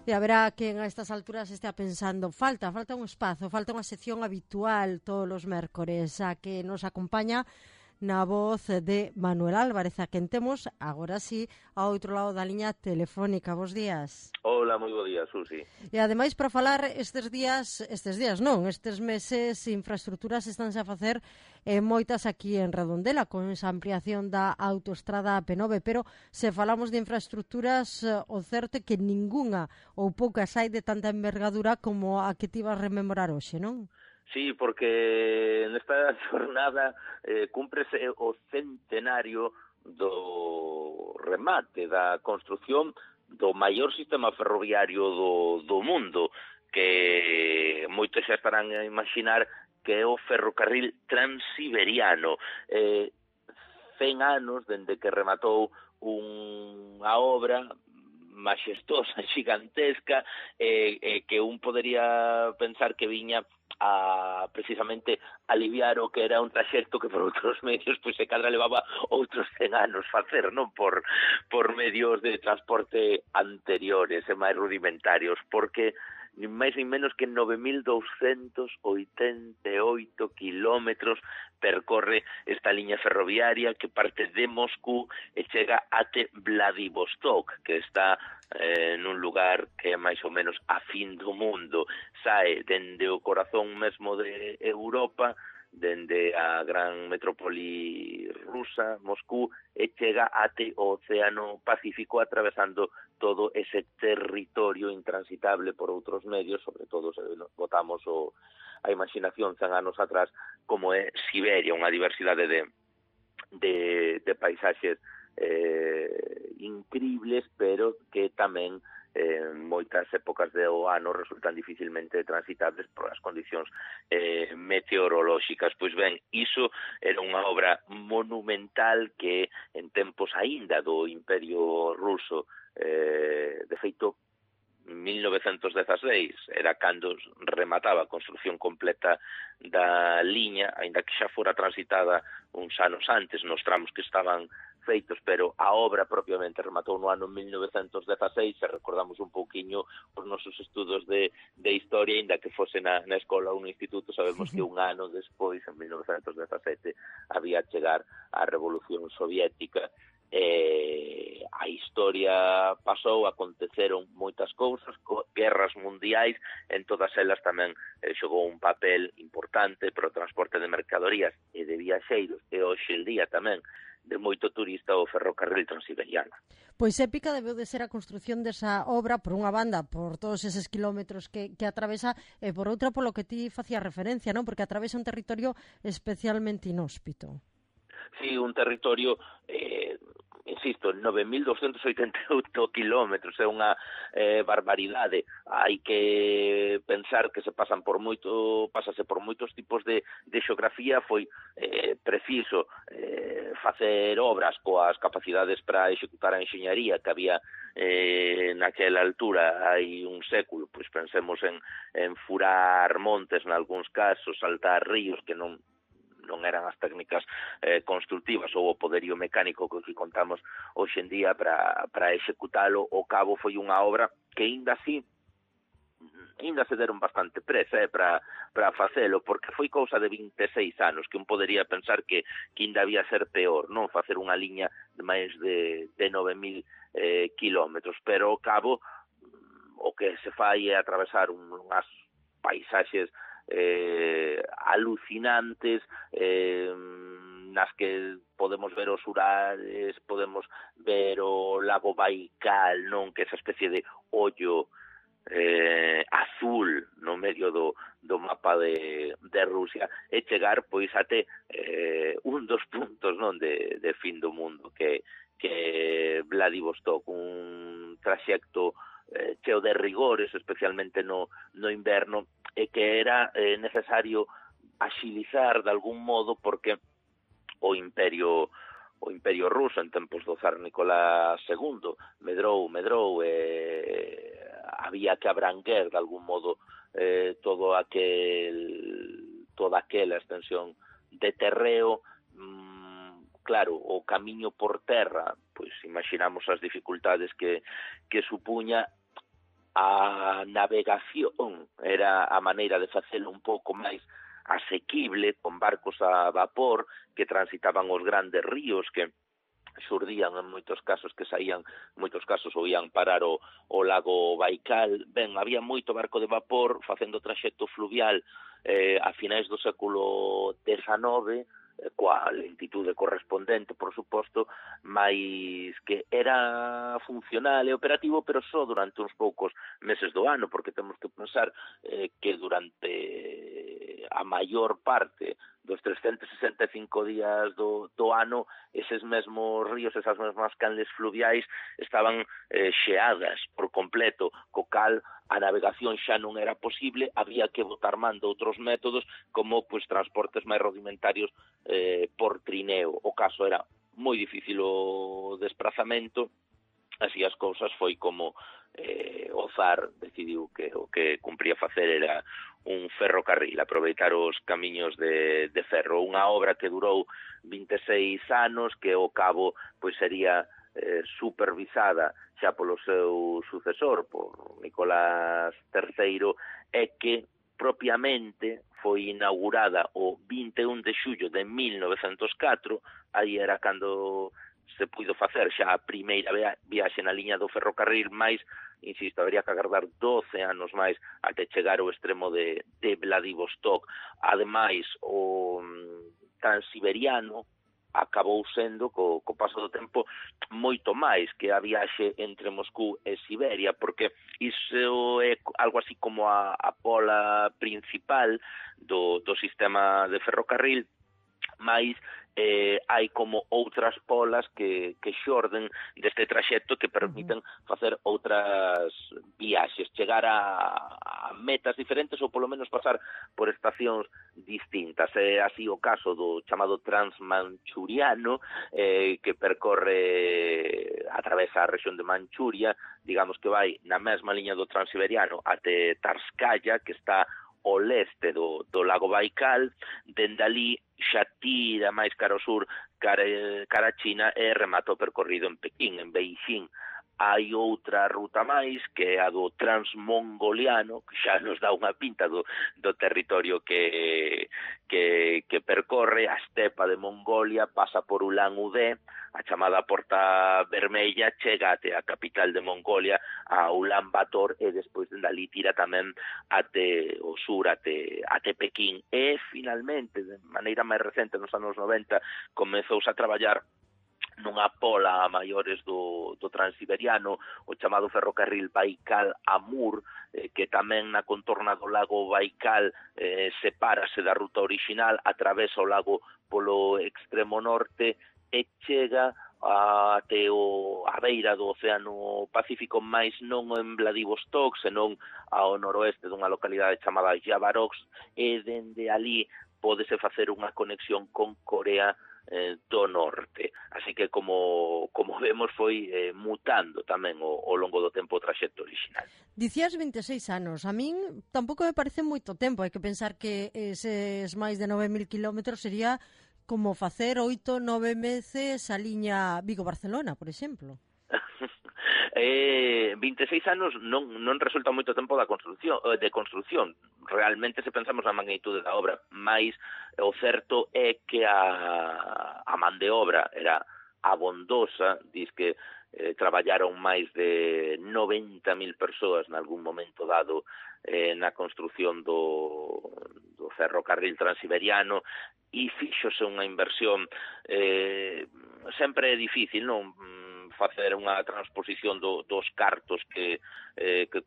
E haberá quen a estas alturas estea pensando falta un espazo, falta unha sección habitual todos os mércores a que nos acompaña na voz de Manuel Álvarez, a quen temos, agora sí, ao outro lado da liña telefónica. Bos días. Hola, moi bo día, Susi. E ademais, para falar estes meses, infraestructuras estánse a facer moitas aquí en Redondela, con esa ampliación da autoestrada P9, pero se falamos de infraestructuras, o certo é que ningunha ou poucas hai de tanta envergadura como a que ti vas rememorar hoxe, non? Sí, porque nesta jornada cúmprese o centenario do remate da construción do maior sistema ferroviario do mundo, que moitos xa estarán a imaginar que é o ferrocarril transiberiano. 100 anos dende que rematou unha obra maxestosa, gigantesca, que un podería pensar que viña a precisamente aliviar o que era un traxecto que por outros medios pois se cadra levaba outros 100 anos facer, non por medios de transporte anteriores e máis rudimentarios, porque nin máis nin menos que 9.288 kilómetros percorre esta liña ferroviaria que parte de Moscú e chega até Vladivostok, que está nun lugar que é máis ou menos a fin do mundo. Sae dende o corazón mesmo de Europa, dende a gran metrópoli rusa, Moscú, e chega até o Océano Pacífico atravesando todo ese territorio intransitable por outros medios, sobre todo se botamos a imaginación 100 anos atrás, como é Siberia, unha diversidade de paisaxes incribles, pero que tamén moitas épocas do ano resultan dificilmente transitables por as condicións meteorolóxicas. Pois ben, iso era unha obra monumental que en tempos aínda do Imperio Ruso, de feito 1916 era cando remataba a construción completa da liña, aínda que xa fora transitada uns anos antes nos tramos que estaban feitos, pero a obra propiamente rematou no ano 1916, se recordamos un pouquiño os nosos estudos de historia, aínda que fose na escola ou no instituto, sabemos que un ano despois, en 1917, había chegar a Revolución Soviética. A historia pasou, aconteceron moitas cousas, guerras mundiais, en todas elas tamén xogou un papel importante para o transporte de mercadorías e de viaxeiros, e hoxe en día tamén de moito turista o ferrocarril transiberiano. Pois épica debeu de ser a construción desa obra, por unha banda, por todos eses kilómetros que atravesa, e por outra polo que ti facías referencia, non? Porque atravesa un territorio especialmente inhóspito. Sí, un territorio, insisto, 9.288 kilómetros, é unha barbaridade. Hai que pensar que pásase por moitos tipos de xeografía. Foi preciso facer obras coas capacidades para executar a enxeñaría que había naquela altura hai un século. Pois pensemos en furar montes nalgúns casos, saltar ríos que non eran as técnicas constructivas ou o poderío mecánico que contamos hoxe en día para executalo. O cabo foi unha obra que ainda se deron bastante presa para facelo, porque foi cousa de 26 anos, que un podería pensar que ainda había ser peor, non facer unha liña de máis de 9.000 kilómetros, pero o cabo o que se fai é atravesar unhas paisaxes alucinantes, nas que podemos ver os Urales, podemos ver o lago Baikal, non, que é esa especie de ollo azul no medio do mapa de Rusia, e chegar pois até un dos puntos, non, de fin do mundo, que Vladivostok, un traxecto cheo de rigores, especialmente no inverno, e que era necesario axilizar de algún modo, porque o Imperio Ruso en tempos do zar Nicolás II medrou había que abranguer de algún modo toda aquela extensión de terreo. Claro, o camiño por terra, pois imaginamos as dificultades que supuña. a navegación era a maneira de facelo un pouco máis asequible, con barcos a vapor que transitaban os grandes ríos que xurdían en moitos casos, que saían moitos casos ou ian parar o lago Baikal. Ben, había moito barco de vapor facendo traxecto fluvial a finais do século XIX, coa lentitude correspondente, por suposto, máis que era funcional e operativo, pero só durante uns poucos meses do ano, porque temos que pensar que durante a maior parte dos 365 días do ano, eses mesmos ríos, esas mesmas canles fluviais estaban xeadas por completo, co cal a navegación xa non era posible, había que botar man de outros métodos como pois transportes máis rudimentarios por trineo. O caso era moi difícil o desplazamento, así as cousas foi como o Zar decidiu que o que cumpría facer era un ferrocarril, aproveitar os camiños de ferro, unha obra que durou 26 anos, que ao cabo pois sería supervisada xa polo seu sucesor, por Nicolás III, e que propiamente foi inaugurada o 21 de xullo de 1904, aí era cando se puido facer xa a primeira viaxe na liña do ferrocarril, máis, insisto, habería que agardar 12 anos máis até chegar ao extremo de Vladivostok. Ademais, o Transiberiano acabou sendo, co paso do tempo, moito máis que a viaxe entre Moscú e Siberia, porque iso é algo así como a pola principal do sistema de ferrocarril, máis hai como outras polas que xorden deste traxecto que permiten facer outras viaxes, chegar a metas diferentes ou polo menos pasar por estacións distintas. É así o caso do chamado Transmanchuriano, que percorre atravesa a rexión de Manchuria, digamos que vai na mesma liña do Transiberiano até Tarskaya, que está ao leste do lago Baikal. Dende ali xa tira máis cara ao sur, cara a China, e remata o percorrido en Pequín, en Beijing. Hai outra ruta máis, que é a do Transmongoliano, que xa nos dá unha pinta do territorio que percorre. A estepa de Mongolia pasa por Ulan Ude, a chamada Porta Vermella, chega até a capital de Mongolia, a Ulan Bator, e despois dali tira tamén até o sur, até Pequín. E, finalmente, de maneira máis recente, nos anos 90, comezouse a traballar nunha pola a maiores do Transiberiano, o chamado ferrocarril Baikal-Amur, que tamén na contorna do lago Baikal sepárase da ruta orixinal, atravesa o lago polo extremo norte e chega até a beira do Océano Pacífico, máis non en Vladivostok, senón ao noroeste dunha localidade chamada Yavarovsk, e dende ali pódese facer unha conexión con Corea do Norte. Así que, como vemos, foi mutando tamén ao longo do tempo o traxecto original. Dicías 26 anos. A min tampouco me parece moito tempo. Hai que pensar que eses máis de 9.000 kilómetros sería como facer 8-9 meses a liña Vigo-Barcelona, por exemplo. 26 anos non resulta moito tempo de construción. Realmente, se pensamos na magnitude da obra, máis o certo é que a man de obra era abondosa. Diz que traballaron máis de 90.000 persoas nalgún momento dado na construción do ferrocarril transiberiano, e fíxose unha inversión. Sempre é difícil, non, facer unha transposición dos cartos que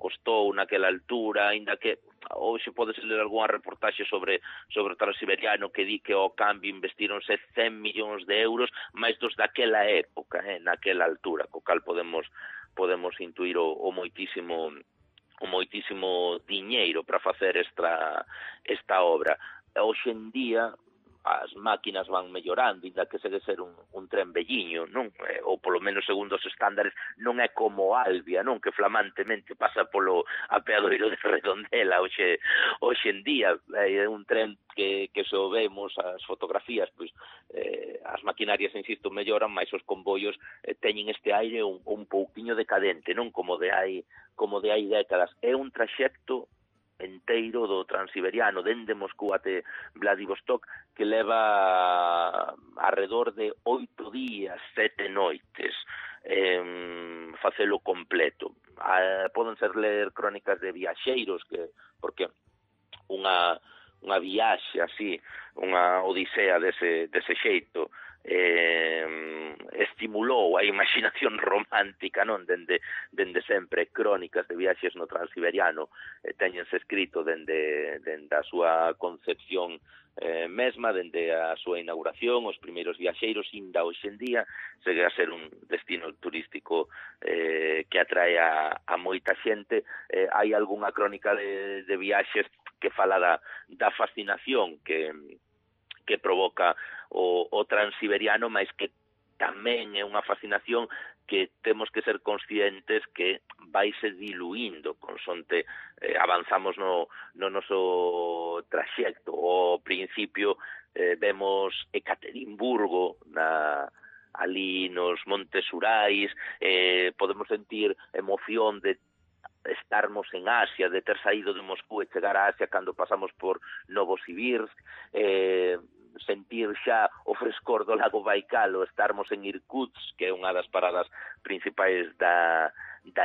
costou naquela altura, aínda que hoxe podes ler algunha reportaxe sobre o Transiberiano que di que ao cambio investironse 100 millóns de euros, máis dos daquela época, naquela altura, co cal podemos intuir o moitísimo diñeiro para facer esta obra. Hoxe en día as máquinas van mellorando, inda que segue ser un tren velliño. pouquiño, non? Ou polo menos segundo os estándares non é como Albia, non? Que flamantemente pasa polo apeadoiro de Redondela hoxe en día. É un tren que se o vemos as fotografías, pois as maquinarias, insisto, melloran, mas os convoios teñen este aire un pouquiño decadente, non? Como de hai décadas. É un traxecto enteiro do Transiberiano, dende Moscú até Vladivostok, que leva alrededor de 8 días, 7 noites, facelo completo. Poden ser ler crónicas de viaxeiros, porque unha viaxe así, unha odisea dese xeito, estimulou a imaginación romántica, non? Dende sempre crónicas de viaxes no Transiberiano teñense escrito dende a súa concepción mesma, dende a súa inauguración, os primeiros viaxeiros, inda hoxe en día segue a ser un destino turístico que atrae a moita xente. Hai algunha crónica de viaxes que fala da fascinación que provoca o Transiberiano, mas que tamén é unha fascinación que temos que ser conscientes que vaise diluindo consonte avanzamos no noso traxecto. Ao principio vemos Ekaterimburgo ali nos Montes Urais, podemos sentir emoción de estarmos en Asia, de ter saído de Moscú e chegar a Asia cando pasamos por Novosibirsk, sentir xa o frescor do lago Baikal, ou estarmos en Irkutsk, que é unha das paradas principais da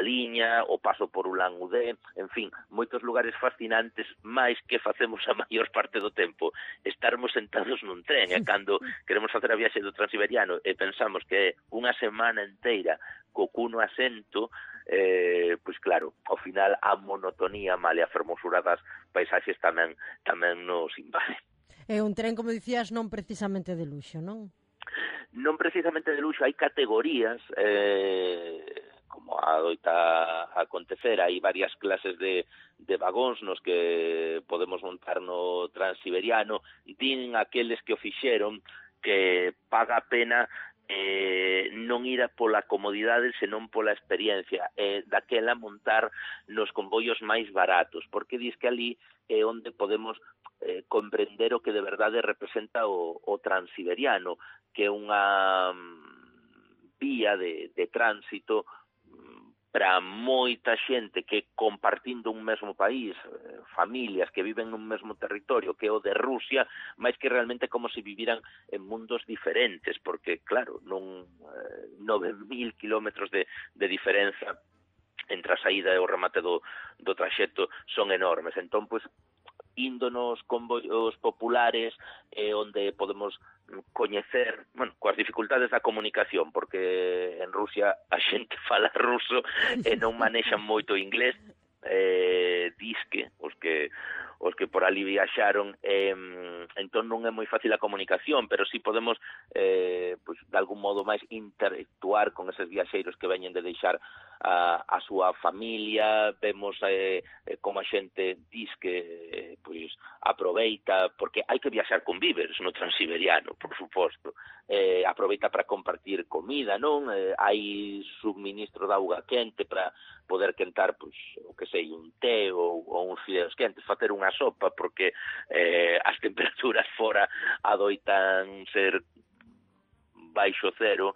liña, o paso por Ulan-Ude, en fin, moitos lugares fascinantes, máis que facemos a maior parte do tempo estarmos sentados nun tren, e cando queremos facer a viaxe do Transiberiano e pensamos que é unha semana inteira co cuno asento, pois claro, ao final a monotonía, male a fermosura das paisaxes tamén nos invade. É un tren, como dicías, non precisamente de luxo, non? Non precisamente de luxo, hai categorías, como adoita acontecer, hai varias clases de vagóns nos que podemos montar no Transiberiano. Din aqueles que o fixeron que paga a pena non ir pola comodidade, senón pola experiencia, daquela montar nos convoios máis baratos, porque dis que ali é onde podemos comprender o que de verdade representa o Transiberiano, que é unha vía de tránsito para moita xente que compartindo un mesmo país, familias que viven nun mesmo territorio que é o de Rusia, máis que realmente como se viviran en mundos diferentes, porque claro, non 9.000 kilómetros de diferenza entre a saída e o remate do traxecto son enormes. Entón, pois, indo nos convoios populares onde podemos coñecer, coas dificultades da comunicación, porque en Rusia a xente fala ruso e non manexan moito inglés, disque os que por ali viaxaron, entón non é moi fácil a comunicación, pero sí podemos pois, de algún modo máis interactuar con eses viaxeiros que veñen de deixar a súa familia. Vemos como a xente diz que pois aproveita, porque hai que viaxar con víveres no Transiberiano, por suposto, aproveita para compartir comida, non? Hai subministro de auga quente para poder quentar, pois, o que sei, un té ou uns fideos quentes, facer unha sopa, porque as temperaturas fora adoitan ser baixo cero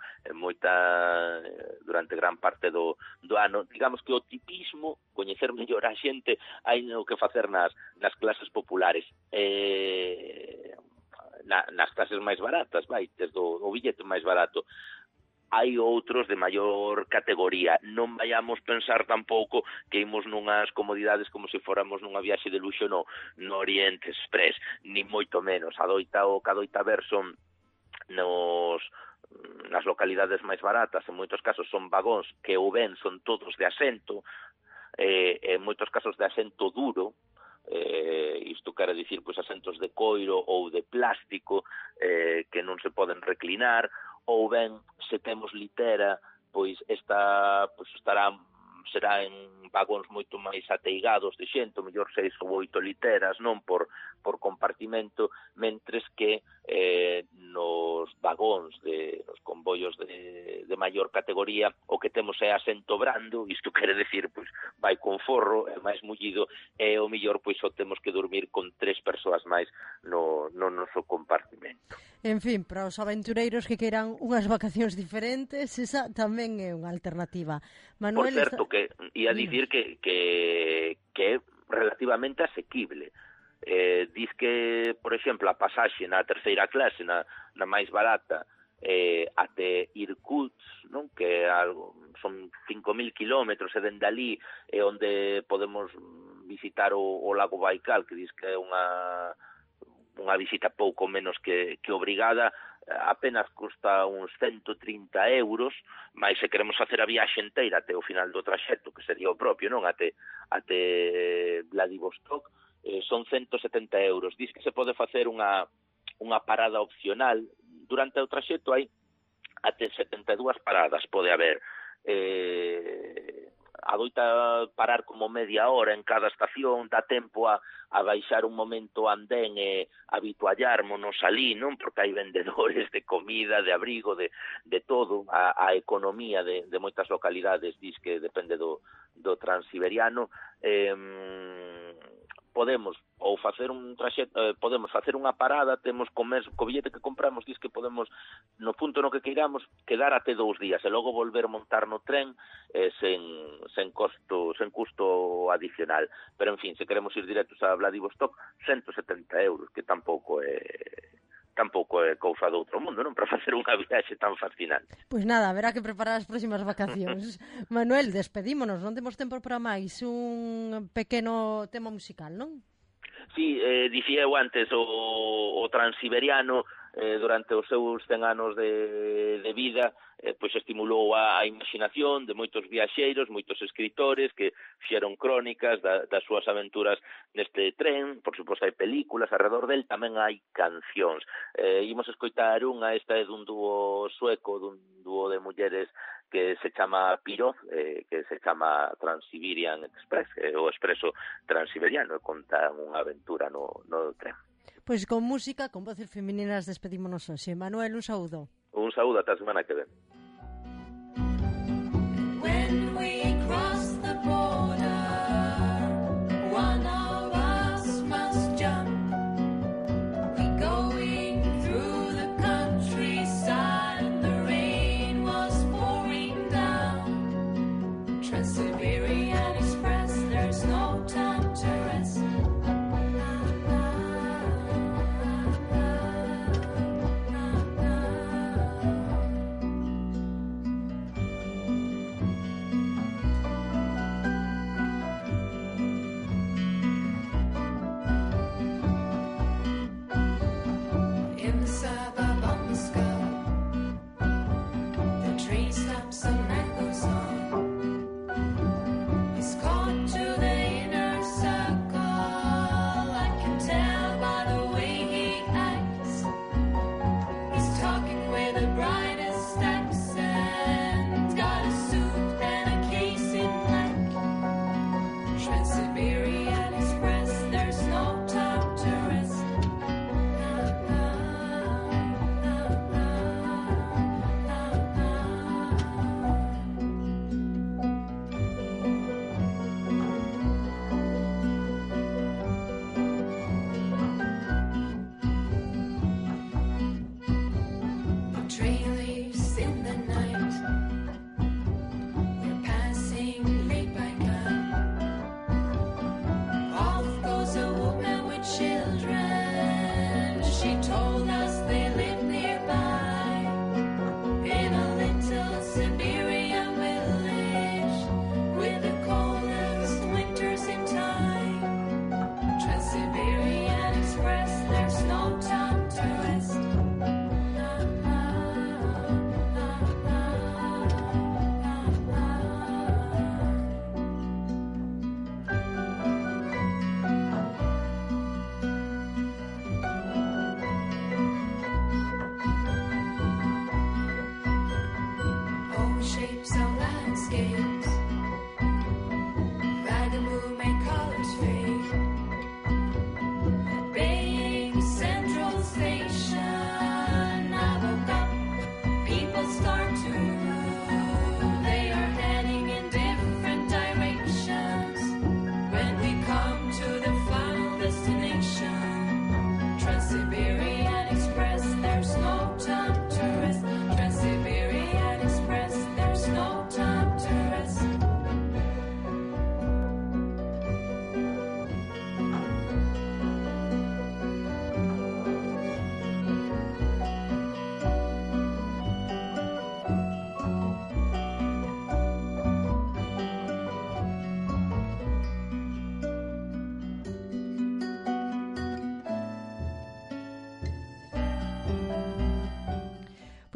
durante gran parte do ano. Digamos que o tipismo, coñecer mellor a xente, hai o que facer nas clases populares, nas clases máis baratas, desde o billete máis barato. Hai outros de maior categoría. Non vayamos pensar tampouco que imos nunhas comodidades como se fóramos nunha viaxe de luxo no Oriente Express, ni moito menos. O que adoita ver son nas localidades máis baratas, en moitos casos son vagóns que ou ben son todos de asento, en moitos casos de asento duro, isto quere dicir pois asentos de coiro ou de plástico que non se poden reclinar, ou ben se temos litera, pois estará será en vagóns moito máis ateigados de xente, o mellor 6 ou 8 literas, non por compartimento, mentres que nos vagóns, nos convoios de maior categoría, o que temos é asento brando, isto quere decir, pois, vai con forro, é máis mullido, e o mellor, pois, só temos que dormir con 3 persoas máis no noso compartimento. En fin, para os aventureiros que queiran unhas vacacións diferentes, esa tamén é unha alternativa. Manuel, por certo, que ia dicir que é relativamente asequible. Diz que, por exemplo, a pasaxe na terceira clase, na máis barata, até Irkutsk, non? Que son 5.000 kilómetros, e dende ali é onde podemos visitar o lago Baikal, que diz que é unha visita pouco menos que obrigada, apenas custa uns 130 euros, mas se queremos facer a viaxe inteira até o final do traxecto, que sería o propio, non? Até Vladivostok, son 170 euros. Diz que se pode facer unha parada opcional. Durante o traxecto hai até 72 paradas, pode haber. Adoita parar como media hora en cada estación, dá tempo a baixar un momento andén e habituallármonos ali, non? Porque hai vendedores de comida, de abrigo, de todo. A economía de moitas localidades diz que depende do transiberiano. Podemos ou facer un traxecto, podemos facer unha parada, temos co billete que compramos, diz que podemos, no punto no que queiramos, quedar até 2 días e logo volver a montar no tren sen custo adicional. Pero, en fin, se queremos ir directos a Vladivostok, 170 euros, que tampouco é cousa do outro mundo, non? Para facer unha viaxe tan fascinante. Pois nada, haberá que preparar as próximas vacacións. Manuel, despedímonos, non temos tempo para máis, un pequeno tema musical, non? Sí, dicía eu antes, o transiberiano durante os seus 100 anos de vida pois estimulou a imaginación de moitos viaxeiros, moitos escritores que fixeron crónicas das súas aventuras neste tren. Por suposto hai películas alrededor del, tamén hai cancións. Imos escoitar esta é dun dúo sueco, dun dúo de mulleres que se chama Piroz, que se chama Trans-Siberian Express, o expreso transiberiano, e conta unha aventura no tren. Pois con música, con voces femininas despedímonos hoxe. Manuel, un saúdo. Un saúdo, ata a semana que ven.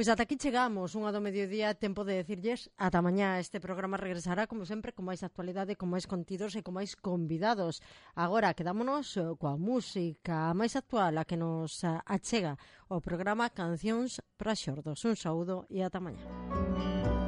Pois ata aquí chegamos, unha do mediodía, tempo de decirlles ata mañá. Este programa regresará, como sempre, con máis actualidade, con máis contidos e con máis convidados. Agora, quedámonos coa música máis actual, a que nos achega o programa Cancións para Xordos. Un saúdo e ata mañá.